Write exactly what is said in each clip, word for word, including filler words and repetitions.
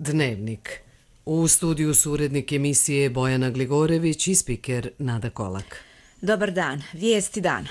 Dnevnik. U studiju su urednik emisije Bojana Gligorević i spiker Nada Kolak. Dobar dan, vijesti dana.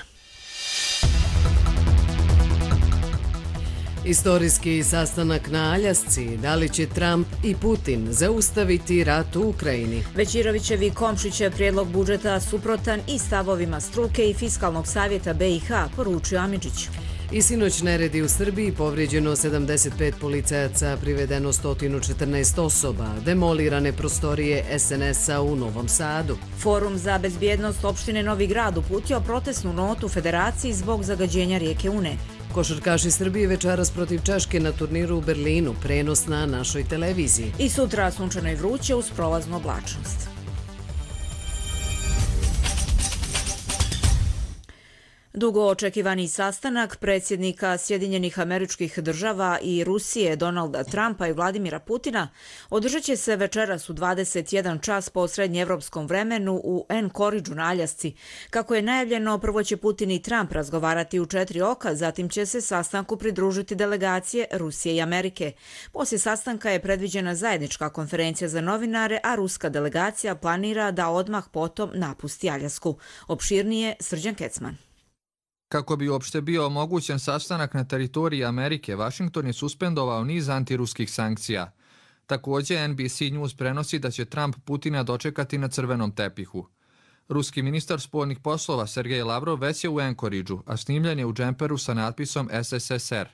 Istorijski sastanak na Aljasci, da li će Trump i Putin zaustaviti rat u Ukrajini? Većirovićev i Komšićev prijedlog budžeta suprotan i stavovima struke i Fiskalnog savjeta B i H, poručio Amidžić. I sinoć neredi u Srbiji, povrijeđeno sedamdeset pet policajaca, privedeno sto četrnaest osoba, demolirane prostorije S N S-a u Novom Sadu. Forum za bezbjednost opštine Novi Grad uputio protestnu notu Federaciji zbog zagađenja rijeke Une. Košarkaši Srbije večeras protiv Češke na turniru u Berlinu, prenos na našoj televiziji. I sutra sunčano i vruće uz prolaznu oblačnost. Dugo očekivani sastanak predsjednika Sjedinjenih Američkih Država i Rusije Donalda Trumpa i Vladimira Putina održat će se večeras u dvadeset jedan čas po srednjeevropskom vremenu u Anchorageu na Aljasci. Kako je najavljeno, prvo će Putin i Trump razgovarati u četiri oka, zatim će se sastanku pridružiti delegacije Rusije i Amerike. Poslije sastanka je predviđena zajednička konferencija za novinare, a ruska delegacija planira da odmah potom napusti Aljasku. Opširnije Srđan Kecman. Kako bi uopšte bio omogućen sastanak na teritoriji Amerike, Vašington je suspendovao niz antiruskih sankcija. Također, N B C News prenosi da će Trump Putina dočekati na crvenom tepihu. Ruski ministar spoljnih poslova Sergej Lavrov već je u Anchorageu, a snimljen je u džemperu sa natpisom S S S R.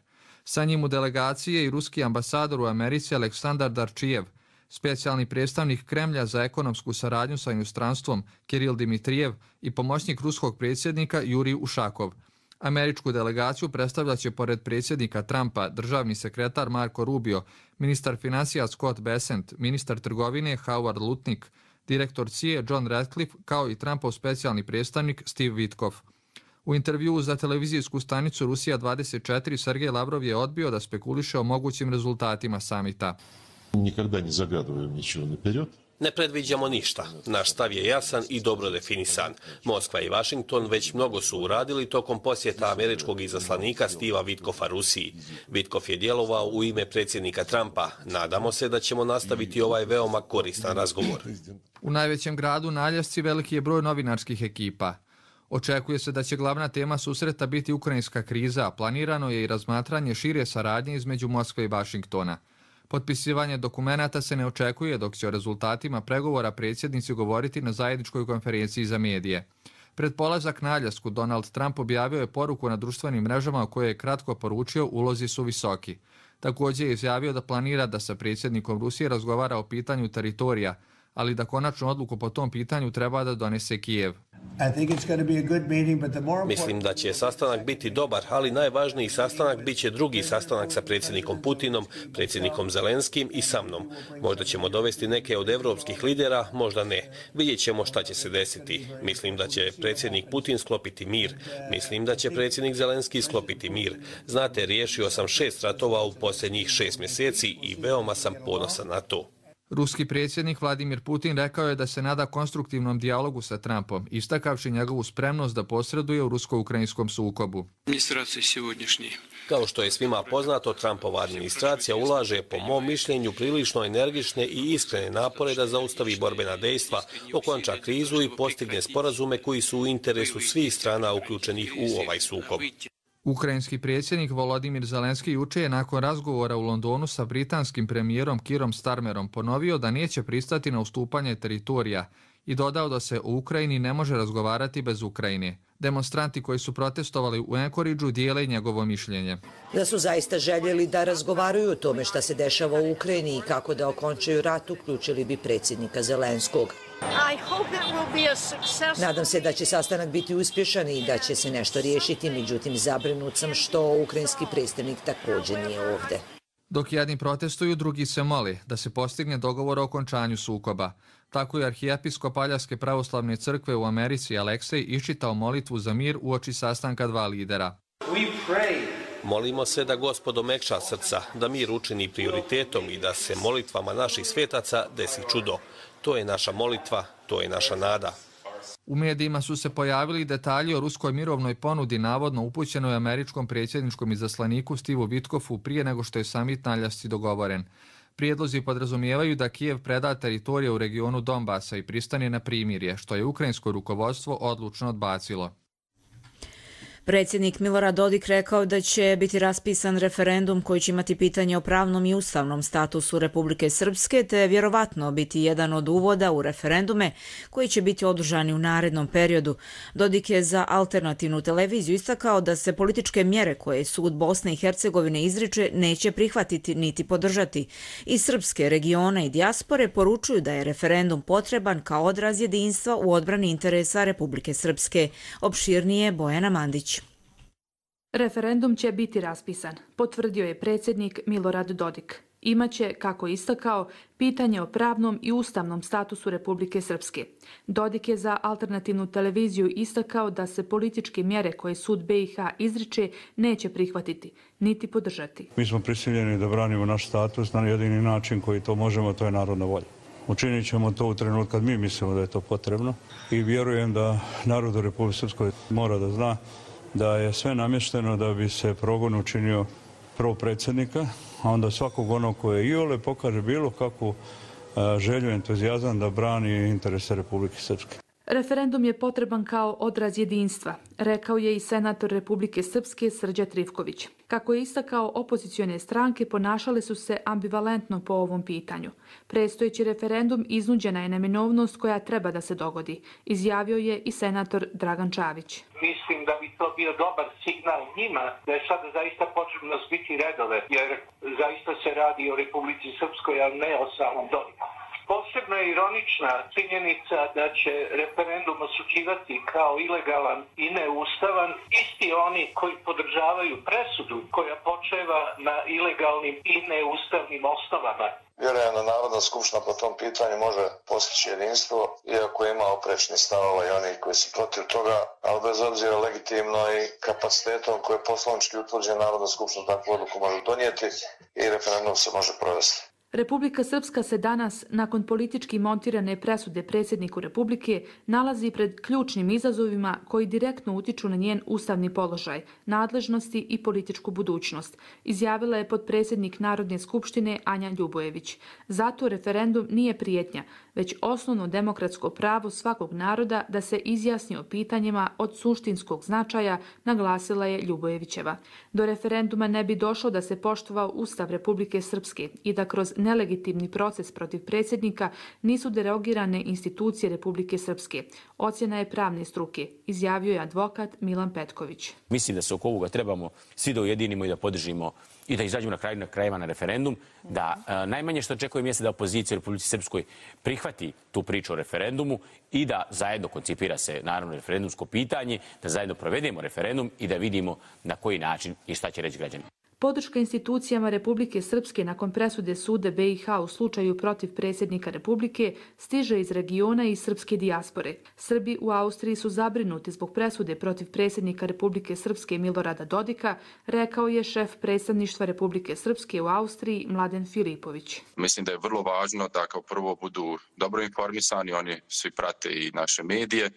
Sa njim u delegaciji je i ruski ambasador u Americi Aleksandar Darčijev, specijalni predstavnik Kremlja za ekonomsku saradnju sa inostranstvom Kiril Dimitrijev i pomoćnik ruskog predsjednika Jurij Ušakov. Američku delegaciju predstavljat će pored predsjednika Trumpa državni sekretar Marco Rubio, ministar financija Scott Bessent, ministar trgovine Howard Lutnick, direktor C I A John Ratcliffe, kao i Trumpov specijalni predstavnik Steve Witkoff. U intervjuu za televizijsku stanicu Rusija dvadeset četiri Sergej Lavrov je odbio da spekuliše o mogućim rezultatima samita. Nikada ne zagadujem ničego napered. Ne predviđamo ništa. Naš stav je jasan i dobro definisan. Moskva i Vašington već mnogo su uradili tokom posjeta američkog izaslanika Steva Witkoffa Rusiji. Witkoff je djelovao u ime predsjednika Trumpa. Nadamo se da ćemo nastaviti ovaj veoma koristan razgovor. U najvećem gradu na Aljasci veliki je broj novinarskih ekipa. Očekuje se da će glavna tema susreta biti ukrajinska kriza, a planirano je i razmatranje šire saradnje između Moskve i Vašingtona. Potpisivanje dokumenata se ne očekuje, dok će o rezultatima pregovora predsjednici govoriti na zajedničkoj konferenciji za medije. Pred polazak na Aljasku Donald Trump objavio je poruku na društvenim mrežama u kojoj je kratko poručio ulozi su visoki. Također je izjavio da planira da sa predsjednikom Rusije razgovara o pitanju teritorija, ali da konačnu odluku po tom pitanju treba da donese Kijev. Mislim da će sastanak biti dobar, ali najvažniji sastanak bit će drugi sastanak sa predsjednikom Putinom, predsjednikom Zelenskim i sa mnom. Možda ćemo dovesti neke od evropskih lidera, možda ne. Vidjet ćemo šta će se desiti. Mislim da će predsjednik Putin sklopiti mir. Mislim da će predsjednik Zelenski sklopiti mir. Znate, riješio sam šest ratova u posljednjih šest mjeseci i veoma sam ponosan na to. Ruski predsjednik Vladimir Putin rekao je da se nada konstruktivnom dijalogu sa Trumpom, istakavši njegovu spremnost da posreduje u rusko-ukrajinskom sukobu. Kao što je svima poznato, Trumpova administracija ulaže, po mom mišljenju, prilično energične i iskrene napore da zaustavi borbena dejstva, okonča krizu i postigne sporazume koji su u interesu svih strana uključenih u ovaj sukob. Ukrajinski predsjednik Volodimir Zelenski juče je nakon razgovora u Londonu sa britanskim premijerom Kirom Starmerom ponovio da neće pristati na ustupanje teritorija i dodao da se o Ukrajini ne može razgovarati bez Ukrajine. Demonstranti koji su protestovali u Anchorageu dijele njegovo mišljenje. Da su zaista željeli da razgovaraju o tome šta se dešava u Ukrajini i kako da okončaju rat, uključili bi predsjednika Zelenskog. Nadam se da će sastanak biti uspješan i da će se nešto riješiti, međutim zabrinut sam što ukrajinski predstavnik također nije ovdje. Dok jedni protestuju, drugi se moli da se postigne dogovor o okončanju sukoba. Tako je arhijepiskop Aljaske pravoslavne crkve u Americi Aleksej iščitao molitvu za mir uoči sastanka dva lidera. Molimo se da Gospod omekša srca, da mir učini prioritetom i da se molitvama naših svetaca desi čudo. To je naša molitva, to je naša nada. U medijima su se pojavili detalji o ruskoj mirovnoj ponudi navodno upućenoj američkom predsjedničkom izaslaniku Steveu Witkoffu prije nego što je samit na Aljasci dogovoren. Prijedlozi podrazumijevaju da Kijev preda teritorije u regionu Donbasa i pristane na primirje, što je ukrajinsko rukovodstvo odlučno odbacilo. Predsjednik Milorad Dodik rekao da će biti raspisan referendum koji će imati pitanje o pravnom i ustavnom statusu Republike Srpske, te vjerovatno biti jedan od uvoda u referendume koji će biti održani u narednom periodu. Dodik je za alternativnu televiziju istakao da se političke mjere koje sud Bosne i Hercegovine izriče neće prihvatiti niti podržati. Iz srpske regiona i dijaspore poručuju da je referendum potreban kao odraz jedinstva u odbrani interesa Republike Srpske. Opširnije Bojana Mandić. Referendum će biti raspisan, potvrdio je predsjednik Milorad Dodik. Imaće, kako je istakao, pitanje o pravnom i ustavnom statusu Republike Srpske. Dodik je za alternativnu televiziju istakao da se političke mjere koje sud B i H izriče neće prihvatiti, niti podržati. Mi smo prisiljeni da branimo naš status na jedini način koji to možemo, to je narodna volja. Učinit ćemo to u trenutku kad mi mislimo da je to potrebno i vjerujem da narod u Republike Srpskoj mora da zna da je sve namješteno da bi se progon učinio prvo predsjednika, a onda svakog onog koje iole pokaže bilo kakvu želju, entuzijazam da brani interese Republike Srpske. Referendum je potreban kao odraz jedinstva, rekao je i senator Republike Srpske Srđa Trifković. Kako je istakao, opozicione stranke ponašale su se ambivalentno po ovom pitanju. Predstojeći referendum iznuđena je neminovnost koja treba da se dogodi, izjavio je i senator Dragan Čavić. Mislim da bi to bio dobar signal njima da je sada zaista potrebno zbiti redove, jer zaista se radi o Republici Srpskoj, a ne o samom Dodiku. Posebno je ironična činjenica da će referendum osuđivati kao ilegalan i neustavan isti oni koji podržavaju presudu koja počeva na ilegalnim i neustavnim osnovama. Vjerujem da Narodna skupština po tom pitanju može postići jedinstvo, iako ima oprečni stavova i oni koji su protiv toga, ali bez obzira legitimno i kapacitetom koje je poslovnički utvrđen, Narodna skupština takvu odluku može donijeti i referendum se može provesti. Republika Srpska se danas, nakon politički montirane presude predsjedniku Republike, nalazi pred ključnim izazovima koji direktno utiču na njen ustavni položaj, nadležnosti i političku budućnost, izjavila je potpredsjednik Narodne skupštine Anja Ljubojević. Zato referendum nije prijetnja, već osnovno demokratsko pravo svakog naroda da se izjasni o pitanjima od suštinskog značaja, naglasila je Ljubojevićeva. Do referenduma ne bi došlo da se poštovao Ustav Republike Srpske i da kroz nelegitimni proces protiv predsjednika nisu derogirane institucije Republike Srpske. Ocjena je pravne struke, izjavio je advokat Milan Petković. Mislim da se oko ovoga trebamo svi da ujedinimo i da podržimo i da izađemo na kraju na krajeva na referendum, da a, najmanje što očekujem jeste da opozicija u Republici Srpskoj prihvati tu priču o referendumu i da zajedno koncipira se naravno referendumsko pitanje, da zajedno provedemo referendum i da vidimo na koji način i šta će reći građani. Podrška institucijama Republike Srpske nakon presude suda B i H u slučaju protiv predsjednika Republike stiže iz regiona i srpske dijaspore. Srbi u Austriji su zabrinuti zbog presude protiv predsjednika Republike Srpske Milorada Dodika, rekao je šef predstavništva Republike Srpske u Austriji Mladen Filipović. Mislim da je vrlo važno da kao prvo budu dobro informisani, oni svi prate i naše medije,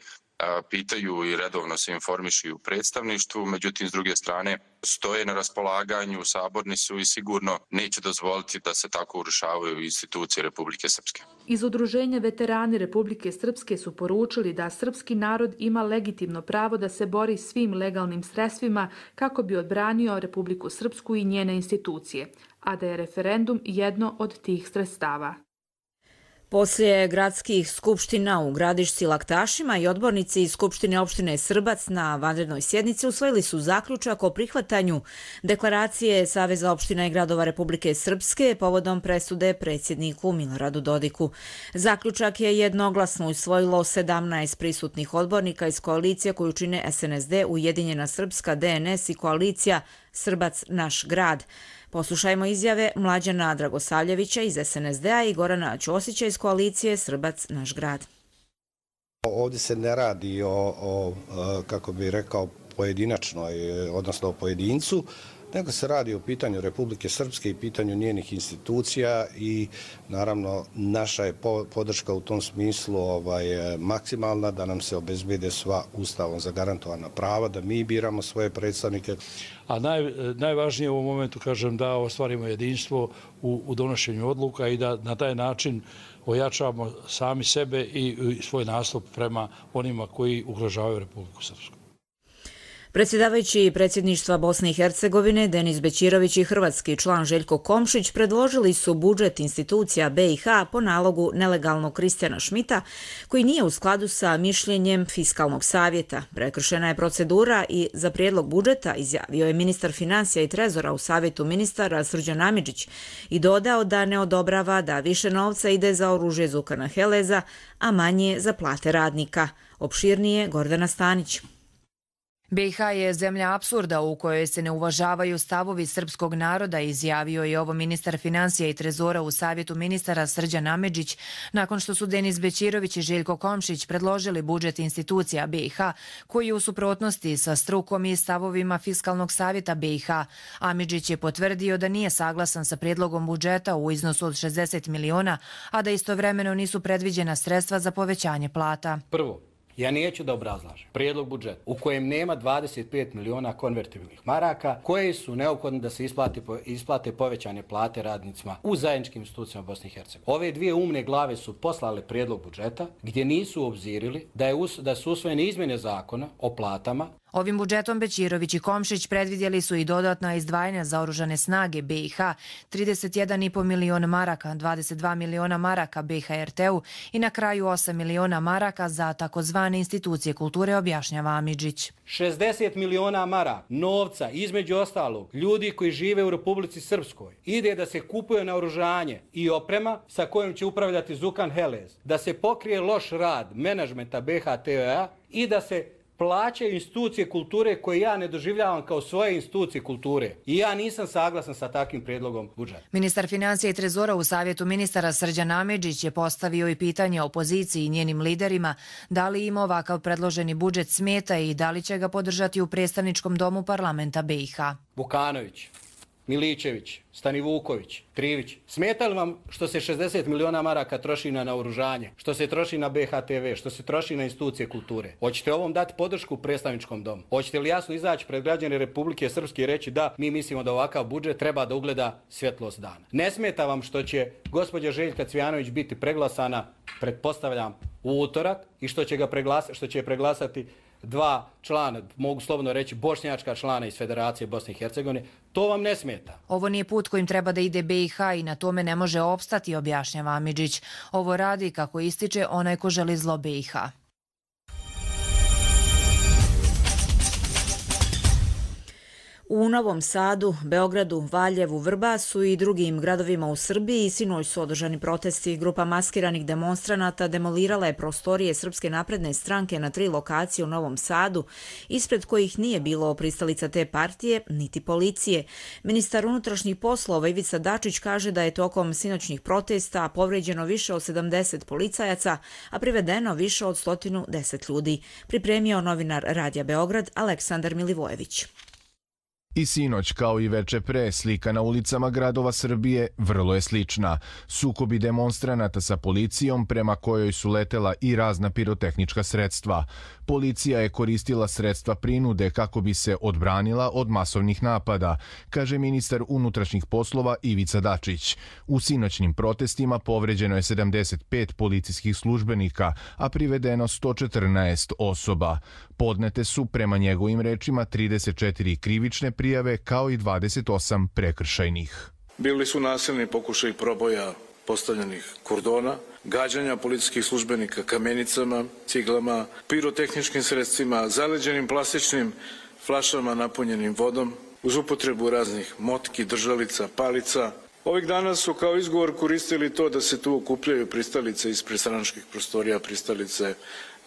pitaju i redovno se informišu u predstavništvu, međutim s druge strane stoje na raspolaganju u sabornicu i sigurno neće dozvoliti da se tako urušavaju institucije Republike Srpske. Iz udruženja veterani Republike Srpske su poručili da srpski narod ima legitimno pravo da se bori svim legalnim sredstvima kako bi odbranio Republiku Srpsku i njene institucije, a da je referendum jedno od tih sredstava. Poslije gradskih skupština u Gradišci Laktašima i odbornici iz Skupštine opštine Srbac na vanrednoj sjednici usvojili su zaključak o prihvatanju deklaracije Saveza opština i gradova Republike Srpske povodom presude predsjedniku Miloradu Dodiku. Zaključak je jednoglasno usvojilo sedamnaest prisutnih odbornika iz koalicije koju čine S N S D, Ujedinjena Srpska, D N S i koalicija Srbac naš grad. Poslušajmo izjave Mlađana Dragosavljevića iz S N S D-a i Gorana Ćosića iz koalicije Srbac naš grad. Ovdje se ne radi o, o kako bih rekao, pojedinačnoj, odnosno o pojedincu, nego se radi o pitanju Republike Srpske i pitanju njenih institucija i naravno naša je podrška u tom smislu ovaj, maksimalna da nam se obezbede sva ustavom zagarantovana prava, da mi biramo svoje predstavnike. A naj, najvažnije u ovom momentu, kažem, da ostvarimo jedinstvo u, u donošenju odluka i da na taj način ojačamo sami sebe i svoj nastup prema onima koji ugrožavaju Republiku Srpsku. Predsjedavajući predsjedništva Bosne i Hercegovine Denis Bećirović i hrvatski član Željko Komšić predložili su budžet institucija be i ha po nalogu nelegalnog Kristijana Šmita, koji nije u skladu sa mišljenjem Fiskalnog savjeta. Prekršena je procedura i za prijedlog budžeta izjavio je ministar financija i trezora u savjetu ministara Srđan Amidžić i dodao da ne odobrava da više novca ide za oružje Zukana Heleza, a manje za plate radnika. Opširnije Gordana Stanić. be i ha je zemlja apsurda u kojoj se ne uvažavaju stavovi srpskog naroda, izjavio je ovo ministar financija i trezora u savjetu ministara Srđan Amidžić nakon što su Denis Bećirović i Željko Komšić predložili budžet institucija be i ha koji je u suprotnosti sa strukom i stavovima Fiskalnog savjeta be i ha. Amidžić je potvrdio da nije saglasan sa prijedlogom budžeta u iznosu od šezdeset miliona, a da istovremeno nisu predviđena sredstva za povećanje plata. Prvo, ja neću da obrazlažem prijedlog budžeta u kojem nema dvadeset pet miliona konvertibilnih maraka koje su neophodne da se isplate, isplate povećane plate radnicima u zajedničkim institucijama Bosne i Hercegovine. Ove dvije umne glave su poslale prijedlog budžeta gdje nisu obzirili da, je us, da su usvojene izmjene zakona o platama. Ovim budžetom Bećirović i Komšić predvidjeli su i dodatna izdvajanja za oružane snage be i ha, trideset jedan i po miliona maraka, dvadeset dva miliona maraka be ha er te-u i na kraju osam miliona maraka za takozvane institucije kulture, objašnjava Amidžić. šezdeset miliona maraka novca, između ostalog, ljudi koji žive u Republici Srpskoj, ide da se kupuje naoružanje i oprema sa kojom će upravljati Zukan Helez, da se pokrije loš rad menadžmenta be ha te-a i da se plaćaju institucije kulture koje ja ne doživljavam kao svoje institucije kulture. I ja nisam saglasan sa takvim prijedlogom budžeta. Ministar financija i trezora u savjetu ministara Srđan Amidžić je postavio i pitanje opoziciji i njenim liderima da li im ovakav predloženi budžet smeta i da li će ga podržati u predstavničkom domu parlamenta be i ha. Vukanović, Miličević, Stanivuković, Krivić. Smeta li vam što se šezdeset miliona maraka troši na naoružanje, što se troši na be ha te ve, što se troši na institucije kulture? Hoćete ovom dati podršku u predstavničkom domu? Hoćete li jasno izaći pred građane Republike Srpske i reći da mi mislimo da ovakav budžet treba da ugleda svjetlost dana? Ne smeta vam što će gospođa Željka Cvijanović biti preglasana, pretpostavljam, u utorak i što će, ga preglasa, što će je preglasati dva člana, mogu slobodno reći bošnjačka člana iz Federacije Bosne i Hercegovine, to vam ne smeta. Ovo nije put kojim treba da ide be i ha i na tome ne može opstati, objašnjava Amidžić. Ovo radi, kako ističe, onaj ko želi zlo be i ha. U Novom Sadu, Beogradu, Valjevu, Vrbasu i drugim gradovima u Srbiji sinoć su održani protesti. Grupa maskiranih demonstranata demolirala je prostorije Srpske napredne stranke na tri lokacije u Novom Sadu, ispred kojih nije bilo pristalica te partije, niti policije. Ministar unutrašnjih poslova Ivica Dačić kaže da je tokom sinoćnih protesta povređeno više od sedamdeset policajaca, a privedeno više od sto deset ljudi. Pripremio novinar Radija Beograd Aleksandar Milivojević. I sinoć, kao i veče pre, slika na ulicama gradova Srbije vrlo je slična. Sukobi demonstranata sa policijom prema kojoj su letela i razna pirotehnička sredstva. Policija je koristila sredstva prinude kako bi se odbranila od masovnih napada, kaže ministar unutrašnjih poslova Ivica Dačić. U sinoćnim protestima povređeno je sedamdeset pet policijskih službenika, a privedeno sto četrnaest osoba. Podnete su, prema njegovim rečima, trideset četiri krivične prijave kao i dvadeset osam prekršajnih. Bili su nasilni pokušaj proboja postavljenih kordona, gađanja policijskih službenika kamenicama, ciglama, pirotehničkim sredstvima, zaleđenim plastičnim flašama napunjenim vodom, uz upotrebu raznih motki, držalica, palica. Ovih dana su kao izgovor koristili to da se tu okupljaju pristalice iz prestranačkih prostorija, pristalice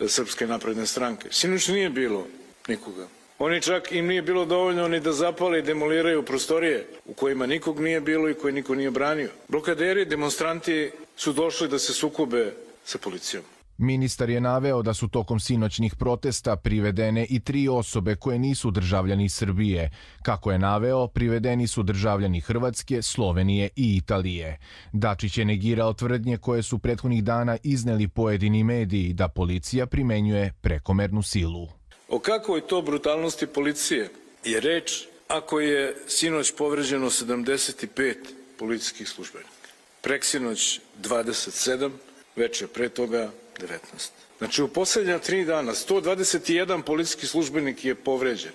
Srpske napredne stranke. Sinoć nije bilo nikoga. Oni čak im nije bilo dovoljno ni da zapale i demoliraju prostorije u kojima nikog nije bilo i koje niko nije branio. Blokaderi, demonstranti su došli da se sukobe sa policijom. Ministar je naveo da su tokom sinoćnih protesta privedene i tri osobe koje nisu državljani Srbije. Kako je naveo, privedeni su državljani Hrvatske, Slovenije i Italije. Dačić je negirao tvrdnje koje su prethodnih dana izneli pojedini mediji da policija primenjuje prekomernu silu. O kakvoj to brutalnosti policije je reč ako je sinoć povređeno sedamdeset pet policijskih službenika, preksinoć dvadeset sedam, veče pre toga devetnaest. Znači u posljednja tri dana sto dvadeset jedan policijski službenik je povređen,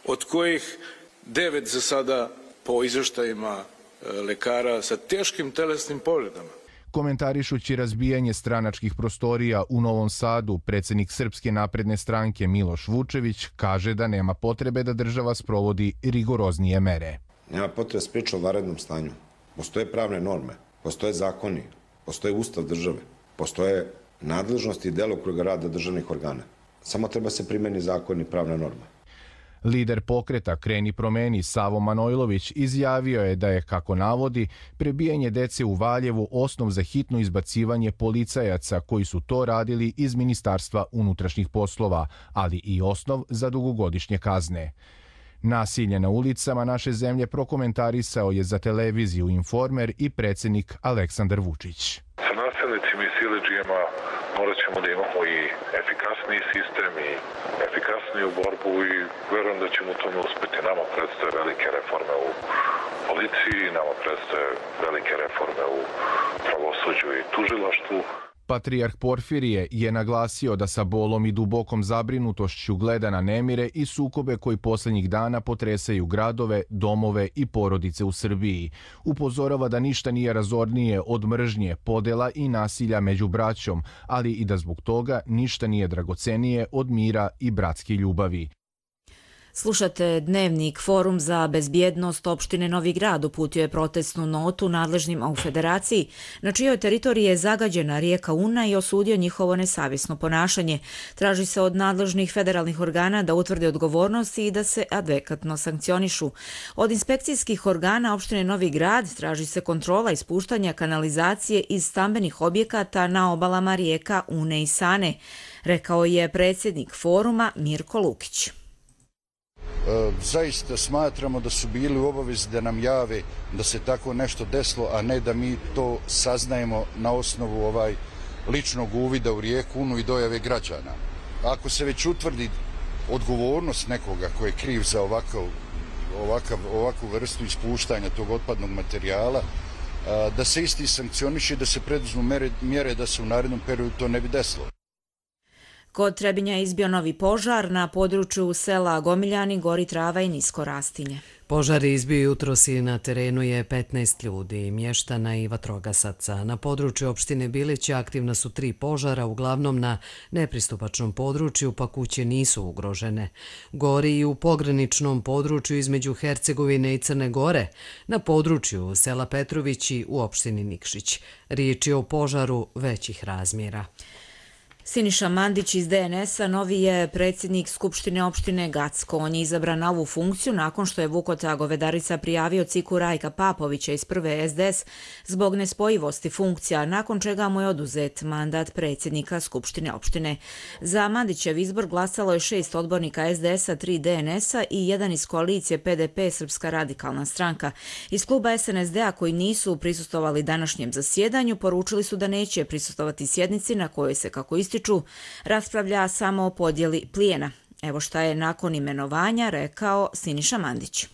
od kojih devet za sada po izveštajima lekara sa teškim telesnim povredama. Komentarišući razbijanje stranačkih prostorija u Novom Sadu, predsjednik Srpske napredne stranke Miloš Vučević kaže da nema potrebe da država sprovodi rigoroznije mere. Nema potrebe da priča o vanrednom stanju. Postoje pravne norme, postoje zakoni, postoje ustav države, postoje nadležnosti i delokruga rada državnih organa. Samo treba se primeni zakon i pravna norma. Lider pokreta Kreni promeni Savo Manojlović izjavio je da je, kako navodi, prebijanje dece u Valjevu osnov za hitno izbacivanje policajaca koji su to radili iz Ministarstva unutrašnjih poslova, ali i osnov za dugogodišnje kazne. Nasilje na ulicama naše zemlje prokomentarisao je za televiziju Informer i predsjednik Aleksandar Vučić. Sa nasilnicima i siledžijama morat ćemo da imamo i efikasniji sistem i efikasniju borbu i verujem da ćemo u tome uspeti. Nama predstoje velike reforme u policiji, nama predstoje velike reforme u pravosuđu i tužilaštvu. Patrijarh Porfirije je naglasio da sa bolom i dubokom zabrinutošću gleda na nemire i sukobe koji posljednjih dana potresaju gradove, domove i porodice u Srbiji. Upozorava da ništa nije razornije od mržnje, podela i nasilja među braćom, ali i da zbog toga ništa nije dragocenije od mira i bratske ljubavi. Slušate Dnevnik. Forum za bezbjednost opštine Novi Grad uputio je protestnu notu nadležnima u federaciji, na čijoj teritoriji je zagađena rijeka Una i osudio njihovo nesavjesno ponašanje. Traži se od nadležnih federalnih organa da utvrde odgovornosti i da se adekvatno sankcionišu. Od inspekcijskih organa opštine Novi Grad traži se kontrola ispuštanja kanalizacije iz stambenih objekata na obalama rijeka Une i Sane, rekao je predsjednik foruma Mirko Lukić. Zaista smatramo da su bili u obavezi da nam jave da se tako nešto desilo, a ne da mi to saznajemo na osnovu ovaj ličnog uvida u rijeku Unu i dojave građana. Ako se već utvrdi odgovornost nekoga ko je kriv za ovakav, ovakav, ovakvu vrstu ispuštanja tog otpadnog materijala, da se isti sankcioniše i da se preduzmu mere, mjere da se u narednom periodu to ne bi desilo. Kod Trebinja je izbio novi požar na području sela Gomiljani, gori trava i nisko rastinje. Požar je izbio jutros i na terenu je petnaest ljudi, mještana i vatrogasaca. Na području opštine Bilić aktivna su tri požara, uglavnom na nepristupačnom području, pa kuće nisu ugrožene. Gori i u pograničnom području između Hercegovine i Crne Gore, na području sela Petrovići u opštini Nikšić. Riječ je o požaru većih razmjera. Siniša Mandić iz D N S-a novi je predsjednik Skupštine opštine Gacko. On je izabran na ovu funkciju nakon što je Vukota Govedarica prijavio ciku Rajka Papovića iz prve S D S zbog nespojivosti funkcija, nakon čega mu je oduzet mandat predsjednika Skupštine opštine. Za Mandićev izbor glasalo je šest odbornika S D S-a, tri D N S-a i jedan iz koalicije P D P Srpska radikalna stranka. Iz kluba S N S D-a koji nisu prisustovali današnjem zasjedanju poručili su da neće prisustovati sjednici na kojoj se, kako ističu, raspravlja samo o podjeli plijena. Evo šta je nakon imenovanja rekao Siniša Mandić.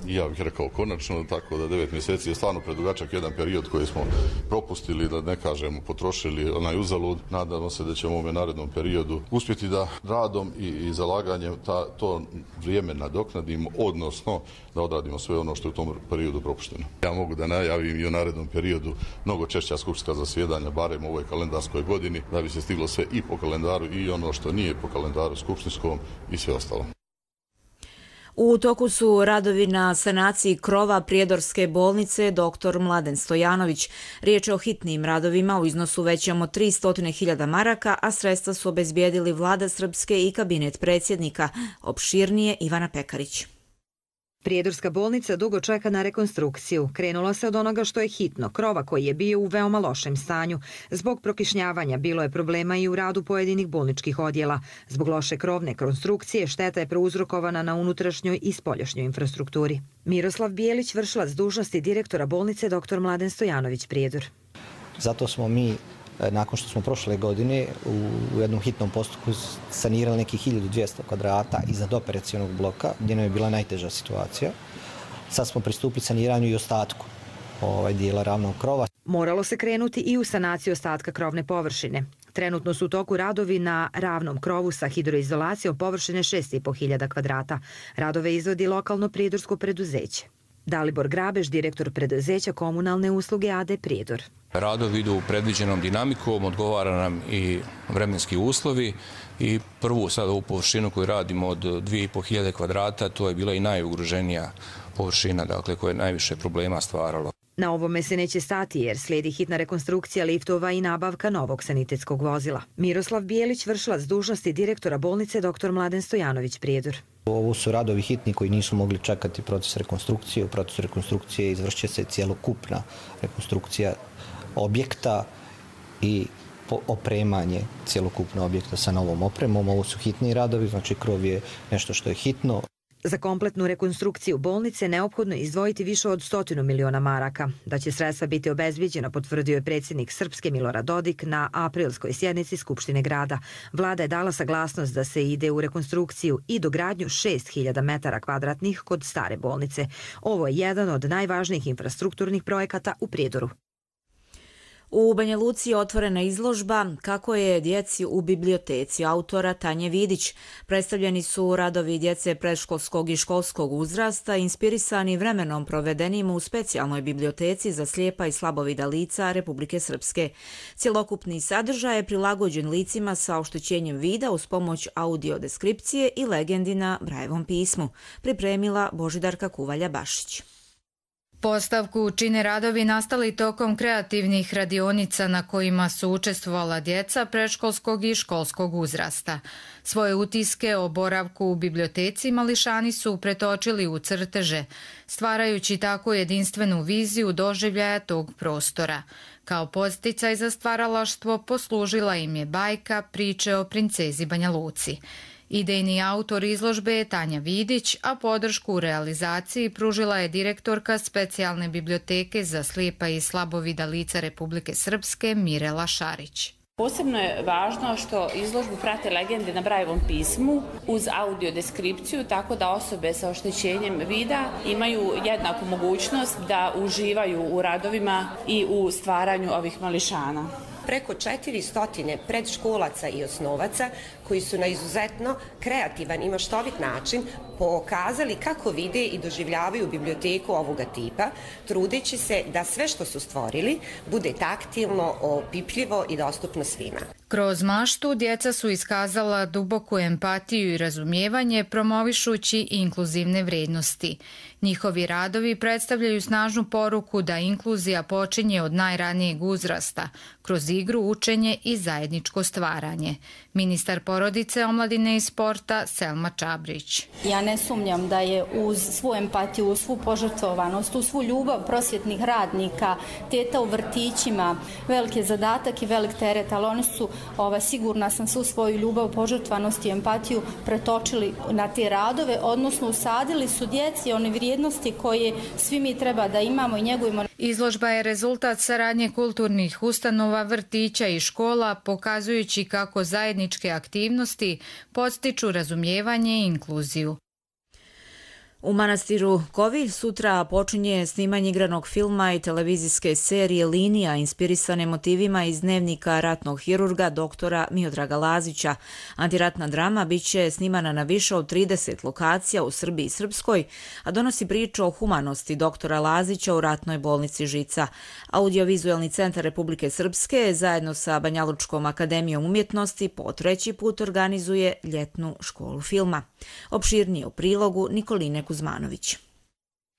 Ja bih rekao konačno, tako da devet mjeseci je stvarno predugačak jedan period koji smo propustili, da ne kažemo potrošili onaj uzalud. Nadamo se da ćemo u ovom narednom periodu uspjeti da radom i, i zalaganjem ta, to vrijeme nadoknadimo, odnosno da odradimo sve ono što je u tom periodu propušteno. Ja mogu da najavim i u narednom periodu mnogo češća skupštinska zasjedanja, barem u ovoj kalendarskoj godini, da bi se stiglo sve i po kalendaru i ono što nije po kalendaru skupštinskom i sve ostalo. U toku su radovi na sanaciji krova Prijedorske bolnice doktor Mladen Stojanović. Riječ je o hitnim radovima u iznosu većem od tristo hiljada maraka, a sredstva su obezbijedili Vlada Srpske i kabinet predsjednika. Opširnije Ivana Pekarić. Prijedorska bolnica dugo čeka na rekonstrukciju. Krenulo se od onoga što je hitno, krova koji je bio u veoma lošem stanju. Zbog prokišnjavanja bilo je problema i u radu pojedinih bolničkih odjela. Zbog loše krovne konstrukcije šteta je prouzrokovana na unutrašnjoj i spoljašnjoj infrastrukturi. Miroslav Bijelić, vršilac dužnosti direktora bolnice doktor Mladen Stojanović Prijedor. Zato smo mi, nakon što smo prošle godine u jednom hitnom postupku sanirali nekih hiljadu dvjesto kvadrata iznad operacionog bloka, gdje nam je bila najteža situacija. Sad smo pristupili saniranju i ostatku ovaj dijela ravnog krova. Moralo se krenuti i u sanaciju ostatka krovne površine. Trenutno su u toku radovi na ravnom krovu sa hidroizolacijom površine šest i po hiljada kvadrata. Radove izvodi lokalno prijedorsko preduzeće. Dalibor Grabež, direktor preduzeća komunalne usluge A D Prijedor. Radovi idu predviđenom dinamikom, odgovara nam i vremenski uslovi i prvu sad ovu površinu koju radimo od dvije i po hiljade kvadrata, to je bila i najugroženija površina, dakle koja je najviše problema stvaralo. Na ovome se neće stati jer slijedi hitna rekonstrukcija liftova i nabavka novog sanitetskog vozila. Miroslav Bijelić, vršilac dužnosti direktora bolnice doktor Mladen Stojanović Prijedor. Ovo su radovi hitni koji nisu mogli čekati proces rekonstrukcije. U procesu rekonstrukcije izvršće se cijelokupna rekonstrukcija objekta i opremanje cijelokupnog objekta sa novom opremom. Ovo su hitni radovi, znači krov je nešto što je hitno. Za kompletnu rekonstrukciju bolnice neophodno je izdvojiti više od stotinu miliona maraka. Da će sredstva biti obezbijeđena, potvrdio je predsjednik Srpske Milorad Dodik na aprilskoj sjednici Skupštine grada. Vlada je dala saglasnost da se ide u rekonstrukciju i dogradnju šest hiljada metara kvadratnih kod stare bolnice. Ovo je jedan od najvažnijih infrastrukturnih projekata u Prijedoru. U Banja Luci je otvorena izložba Kako je djeci u biblioteci autora Tanje Vidić. Predstavljeni su radovi djece predškolskog i školskog uzrasta, inspirisani vremenom provedenim u specijalnoj biblioteci za slijepa i slabovida lica Republike Srpske. Cjelokupni sadržaj je prilagođen licima sa oštećenjem vida uz pomoć audiodeskripcije i legendi na Brajevom pismu. Pripremila Božidarka Kuvalja-Bašić. Postavku čine radovi nastali tokom kreativnih radionica na kojima su učestvovala djeca predškolskog i školskog uzrasta. Svoje utiske o boravku u biblioteci mališani su pretočili u crteže, stvarajući tako jedinstvenu viziju doživljaja tog prostora. Kao podsticaj za stvaralaštvo poslužila im je bajka Priče o princezi Banja Luci. Idejni autor izložbe je Tanja Vidić, a podršku u realizaciji pružila je direktorka specijalne biblioteke za slijepa i slabovida lica Republike Srpske Mirela Šarić. Posebno je važno što izložbu prate legende na Brajevom pismu uz audiodeskripciju, tako da osobe sa oštećenjem vida imaju jednaku mogućnost da uživaju u radovima i u stvaranju ovih mališana. Preko četiristo predškolaca i osnovaca koji su na izuzetno kreativan i maštovit način pokazali kako vide i doživljavaju biblioteku ovoga tipa, trudeći se da sve što su stvorili bude taktilno, opipljivo i dostupno svima. Kroz maštu djeca su iskazala duboku empatiju i razumijevanje, promovišući inkluzivne vrijednosti. Njihovi radovi predstavljaju snažnu poruku da inkluzija počinje od najranijeg uzrasta, kroz igru, učenje i zajedničko stvaranje. Ministar porodice, omladine i sporta Selma Čabrić. Ja ne sumnjam da je uz svu empatiju, uz svu požrtvovanost, uz svu ljubav prosvjetnih radnika, teta u vrtićima, veliki zadatak i velik teret, ali oni su, ova, sigurna sam, svu svoju ljubav, požrtvovanost i empatiju pretočili na te radove, odnosno usadili su djeci one vrijednosti koje svi mi treba da imamo i njegujemo. Izložba je rezultat saradnje kulturnih ustanova, vrtića i škola, pokazujući kako zajedničke aktivnosti podstiču razumijevanje i inkluziju. U manastiru Kovilj sutra počinje snimanje igranog filma i televizijske serije Linija inspirisane motivima iz dnevnika ratnog hirurga doktora Miodraga Lazića. Antiratna drama biće snimana na više od trideset lokacija u Srbiji i Srpskoj, a donosi priču o humanosti doktora Lazića u ratnoj bolnici Žica. Audiovizualni centar Republike Srpske zajedno sa Banjalučkom akademijom umjetnosti po treći put organizuje ljetnu školu filma. Opširnije u prilogu Nikoline Kuzmanović.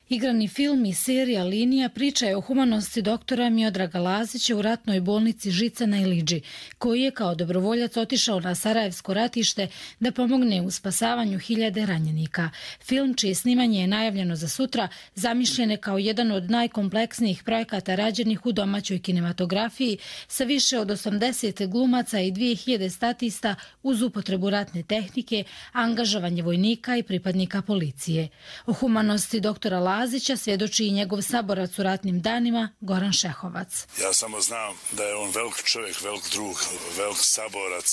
Igrani film i serija Linija priča je o humanosti doktora Miodraga Lazića u ratnoj bolnici Žica na Iliđi, koji je kao dobrovoljac otišao na Sarajevsko ratište da pomogne u spasavanju hiljade ranjenika. Film, čije snimanje je najavljeno za sutra, zamišljen je kao jedan od najkompleksnijih projekata rađenih u domaćoj kinematografiji sa više od osamdeset glumaca i dvije hiljade statista uz upotrebu ratne tehnike, angažovanje vojnika i pripadnika policije. O humanosti doktora Lazića Lazića svjedoči i njegov saborac u ratnim danima Goran Šehovac. Ja samo znam da je on velik čovjek, velik drug, velik saborac,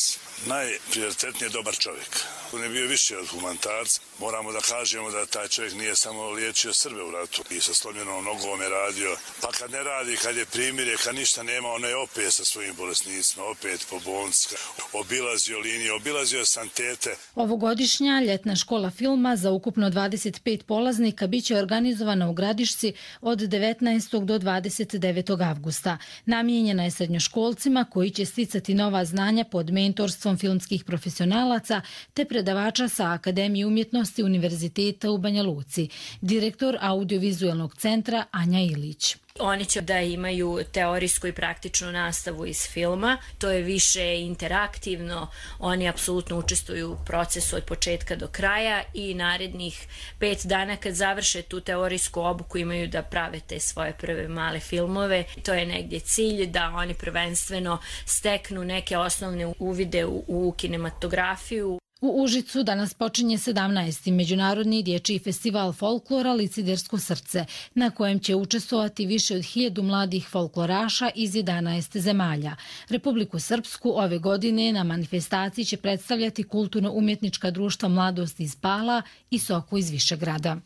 najprioritetnije dobar čovjek. On je bio više od humanitarca. Moramo da kažemo da taj čovjek nije samo liječio Srbe u ratu i sa slomljenom nogom je radio. Pa kad ne radi, kad je primirje, kad ništa nema, on je opet sa svojim bolesnicima, opet po bolnicama. Obilazio linije, obilazio santete. Ovogodišnja ljetna škola filma za ukupno dvadeset pet polaznika biće organizovana u Gradišci od devetnaestog do dvadeset devetog avgusta. Namijenjena je srednjoškolcima koji će sticati nova znanja pod mentorstvom filmskih profesionalaca te predavača sa Akademije umjetnosti Univerziteta u Banja Luci, direktor audiovizualnog centra Anja Ilić. Oni će da imaju teorijsku i praktičnu nastavu iz filma, to je više interaktivno, oni apsolutno učestvuju u procesu od početka do kraja i narednih pet dana kad završe tu teorijsku obuku imaju da prave te svoje prve male filmove. To je negdje cilj da oni prvenstveno steknu neke osnovne uvide u, u kinematografiju. U Užicu danas počinje sedamnaesti Međunarodni dječji festival folklora Licidersko srce, na kojem će učestvovati više od hiljadu mladih folkloraša iz jedanaest zemalja. Republiku Srpsku ove godine na manifestaciji će predstavljati kulturno-umjetnička društva Mladost iz Pala i Soku iz Višegrada.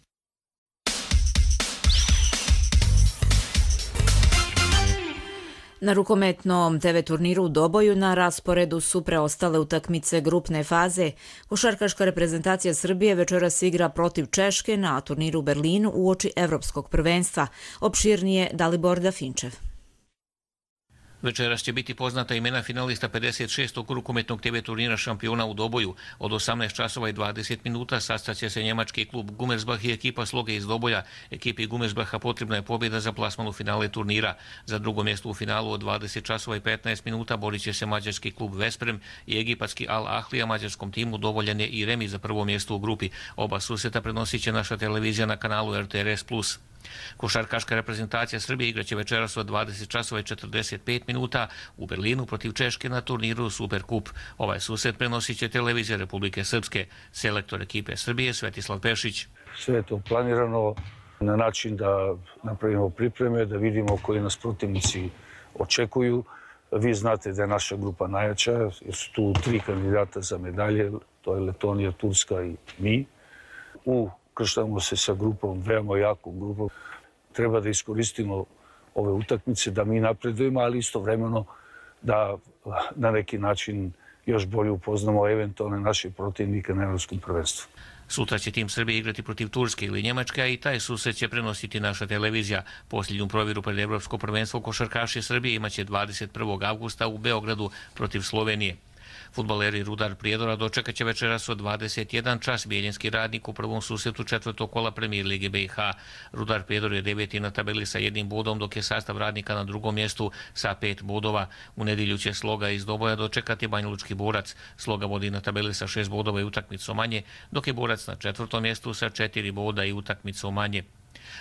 Na rukometnom te ve turniru u Doboju na rasporedu su preostale utakmice grupne faze. Košarkaška reprezentacija Srbije večeras igra protiv Češke na turniru u Berlinu uoči Evropskog prvenstva. Opširnije Dalibor Dafinčev. Večeras će biti poznata imena finalista pedeset šestog rukometnog te ve turnira šampiona u Doboju. Od osamnaest časova i dvadeset minuta sastaće se njemački klub Gummersbach i ekipa Sloge iz Doboja. Ekipi Gummersbacha potrebna je pobjeda za plasman u finale turnira. Za drugo mjesto u finalu od dvadeset časova i petnaest minuta borit će se mađarski klub Vesprem i egipatski Al Ahlija. Mađarskom timu dovoljan je i remi za prvo mjesto u grupi. Oba susreta prenosit će naša televizija na kanalu er te er es plus. Košarkaška reprezentacija Srbije igraće večeras od dvadeset časova i četrdeset pet minuta u Berlinu protiv Češke na turniru Superkup. Ovaj susret prenosit će televizija Republike Srpske. Selektor ekipe Srbije Svetislav Pešić. Sve je to planirano na način da napravimo pripreme, da vidimo koji nas protivnici očekuju. Vi znate da je naša grupa najjača, jer su tu tri kandidata za medalje, to je Letonija, Turska i mi. Ukrštamo se sa grupom, veoma jakom grupom. Treba da iskoristimo ove utakmice, da mi napredujemo, ali istovremeno da na neki način još bolje upoznamo eventualne naše protivnike na Evropskom prvenstvu. Sutra će tim Srbije igrati protiv Turske ili Njemačke, a i taj susret će prenositi naša televizija. Posljednju provjeru pred Evropsko prvenstvo košarkaši Srbije imaće dvadeset prvog avgusta u Beogradu protiv Slovenije. Fudbaleri Rudar Prijedora dočekat će večeras od dvadeset jedan čas Bijeljinski Radnik u prvom susretu četvrtog kola Premijer Lige be i ha. Rudar Prijedor je deveti na tabeli sa jednim bodom, dok je sastav Radnika na drugom mjestu sa pet bodova. U nedjelju će Sloga iz Doboja dočekati Banjalučki Borac. Sloga vodi na tabeli sa šest bodova i utakmicu manje, dok je Borac na četvrtom mjestu sa četiri boda i utakmicu manje.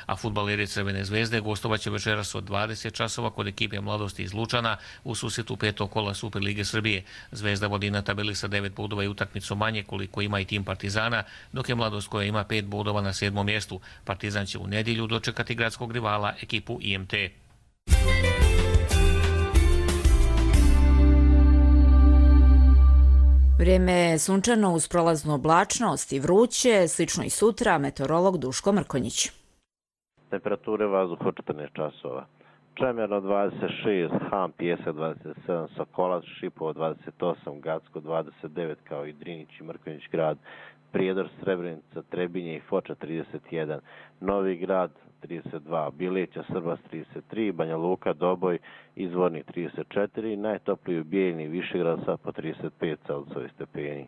A fudbaleri Crvene zvezde gostovaće večeras od dvadeset časova kod ekipe Mladosti iz Lučana u susretu petog kola Superlige Srbije. Zvezda vodi na tabeli sa devet bodova i utakmicu manje koliko ima i tim Partizana, dok je Mladost koja ima pet bodova na sedmom mjestu. Partizan će u nedjelju dočekati gradskog rivala ekipu i em te. Vrijeme je sunčano uz prolaznu oblačnost i vruće, slično i sutra, meteorolog Duško Mrkonjić. Temperature vazduha četrnaest časova. Čemerno dvadeset šest, Han, Pjesak dvadeset sedam, Sokolac, Šipovo dvadeset osam, Gacko dvadeset devet kao i Drinić i Mrkonjić grad, Prijedor, Srebrenica, Trebinje i Foča trideset jedan, Novi grad trideset dva, Bileća, Srbas trideset tri, Banja Luka, Doboj, Izvornik trideset četiri, najtopliji u Bijeljni i Višegrad sa po trideset pet Celzijusovih stepeni.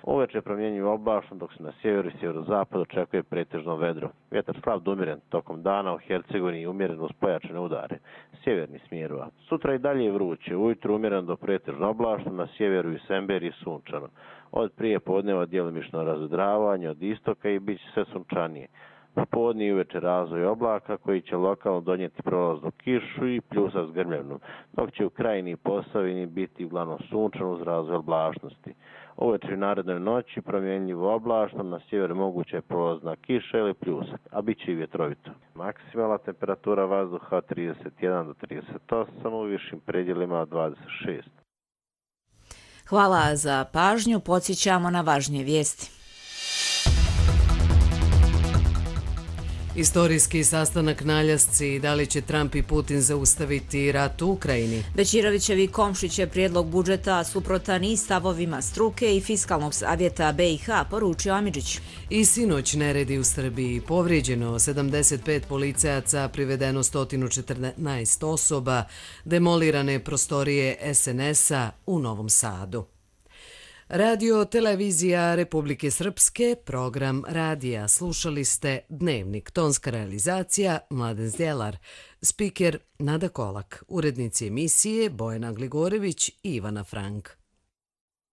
Uveče promjenjivo oblačno, dok se na sjeveru i sjeverozapadu očekuje pretežno vedro. Vjetar slab do umjeren, tokom dana u Hercegovini umjeren uz pojačane udare, sjeverni smjerova. Sutra i dalje je vruće, ujutru umjeren do pretežno oblačno, na sjeveru i Semberiji sunčano. Od prije podneva djelomično razvedravanje, od istoka i bit će sve sunčanije. Popodne i uveče razvoj oblaka koji će lokalno donijeti prolaznu kišu i pljusa s grmljevnom, dok će u Krajini i Posavini biti uglavnom sunčano uz razvoj oblačnosti. Uveče i narednoj noći promjenjivo oblačno, na sjeveru moguća je prolazna kiša ili pljusak, a bit će i vjetrovito. Maksimalna temperatura vazduha od trideset jedan do trideset osam, u višim predjelima od dvadeset šest. Hvala za pažnju, podsjećamo na važnije vijesti. Istorijski sastanak na Aljasci, da li će Trump i Putin zaustaviti rat u Ukrajini? Bećirovićev i Komšić je prijedlog budžeta suprotan i stavovima struke i fiskalnog savjeta B i H, poručio Amidžić. I sinoć neredi u Srbiji, povrijeđeno sedamdeset pet policajaca, privedeno sto četrnaest osoba, demolirane prostorije S N S-a u Novom Sadu. Radio Televizija Republike Srpske, program radija. Slušali ste Dnevnik, tonska realizacija Mladen Zdjelar, spiker Nada Kolak, urednici emisije Bojana Gligorević i Ivana Frank.